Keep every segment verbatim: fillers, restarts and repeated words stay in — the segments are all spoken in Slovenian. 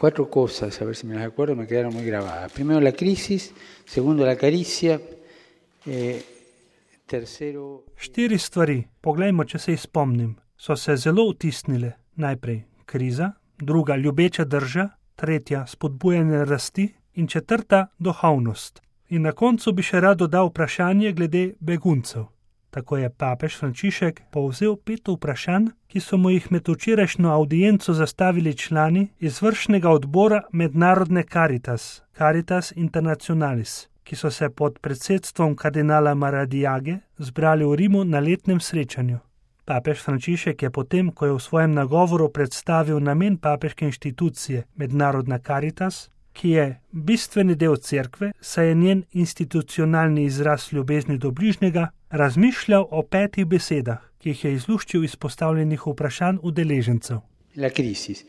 Cuatro cosas, a ver si me las acuerdo, me quedaron muy grabadas. Primero la crisis, segundo la caricia, eh, tercero... Štiri stvari, poglejmo, če se jih spomnim, so se zelo vtisnile. Najprej kriza, druga ljubeča drža, tretja spodbujanje rasti in četrta duhovnost. In na koncu bi še rad dodal vprašanje glede beguncev. Tako je papež Frančišek povzel pet vprašanj, ki so mu jih med včerajšnjo avdienco zastavili člani izvršnega odbora Mednarodne Caritas, Caritas Internationalis, ki so se pod predsedstvom kardinala Maradiage zbrali v Rimu na letnem srečanju. Papež Frančišek je potem, ko je v svojem nagovoru predstavil namen papeške inštitucije Mednarodna Caritas, ki je bistveni del cerkve, saj je njen institucionalni izraz ljubezni do bližnjega, razmišljal o petih besedah, ki jih je izluščil iz postavljenih vprašanj udeležencev. La crisis.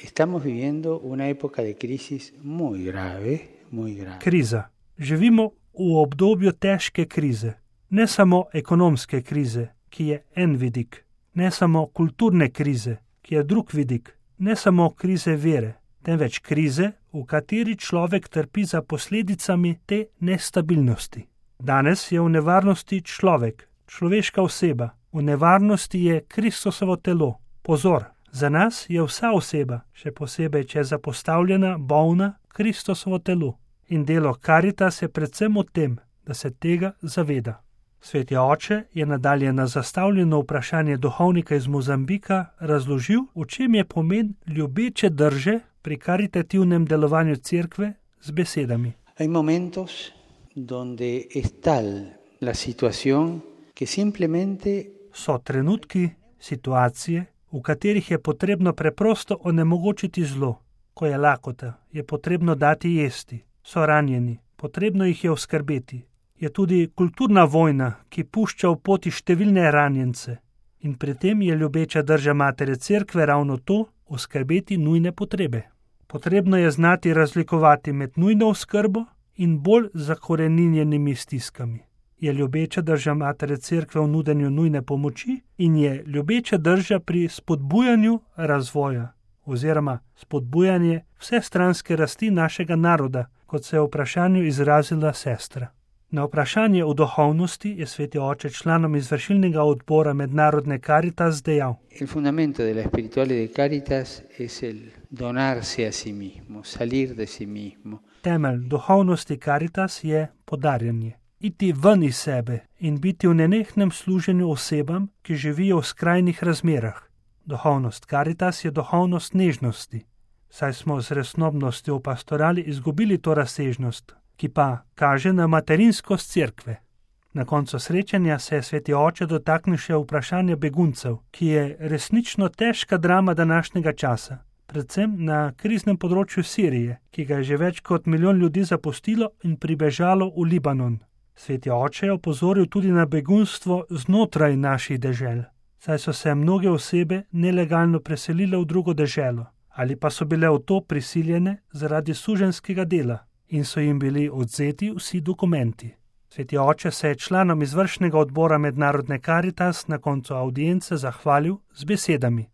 Estamos viviendo una época de crisis muy grave, muy grave. Kriza. Živimo v obdobju težke krize. Ne samo ekonomske krize, ki je en vidik, ne samo kulturne krize, ki je drug vidik, ne samo krize vere, temveč krize, v kateri človek trpi za posledicami te nestabilnosti. Danes je v nevarnosti človek, človeška oseba, v nevarnosti je Kristusovo telo. Pozor, za nas je vsa oseba, še posebej, če je zapostavljena, bolna, Kristusovo telo. In delo Caritas je predvsem v tem, da se tega zaveda. Sveti oče je nadalje na zastavljeno vprašanje duhovnika iz Mozambika razložil, v čem je pomen ljubeče drže pri karitativnem delovanju cerkve z besedami. Hay momentos donde es tal la situación que simplemente... So trenutki, situacije, v katerih je potrebno preprosto onemogočiti zlo. Ko je lakota, je potrebno dati jesti. So ranjeni, potrebno jih je oskrbeti. Je tudi kulturna vojna, ki pušča v poti številne ranjence. In pri tem je ljubeča drža matere cerkve ravno to, oskrbeti nujne potrebe. Potrebno je znati razlikovati med nujno oskrbo in bolj zakoreninjenimi stiskami. Je ljubeča drža matere cerkve v nudenju nujne pomoči in je ljubeča drža pri spodbujanju razvoja oziroma spodbujanje vsestranske rasti našega naroda, kot se je v vprašanju izrazila sestra. Na vprašanje o duhovnosti je sveti oče članom izvršilnega odbora Mednarodne Caritas dejal: El fundamento de la espiritualidad de Caritas es el donarse a sí mismo, salir de sí mismo. Temelj duhovnosti Caritas je podarjanje. Iti ven iz sebe in biti v nenehnem služenju osebam, ki živijo v skrajnih razmerah. Duhovnost Caritas je duhovnost nežnosti, saj smo z resnobnostjo v pastorali izgubili to razsežnost, ki pa kaže na materinskost cerkve. Na koncu srečanja se je sveti oče dotaknil še vprašanja beguncev, ki je resnično težka drama današnjega časa, predvsem na kriznem področju Sirije, ki ga je že več kot milijon ljudi zapustilo in pribežalo v Libanon. Sveti oče je opozoril tudi na begunstvo znotraj naših dežel, saj so se mnoge osebe nelegalno preselile v drugo deželo, ali pa so bile v to prisiljene zaradi suženjskega dela in so jim bili odvzeti vsi dokumenti. Sveti oče se je članom izvršnega odbora Mednarodne Caritas na koncu audience zahvalil z besedami.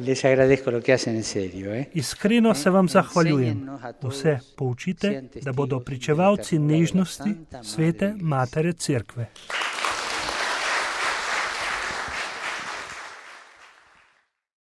Les agradezco lo que hacen en serio, eh? Iskreno se vam zahvaljujem. Vse poučite, da bodo pričevalci nežnosti svete matere cerkve.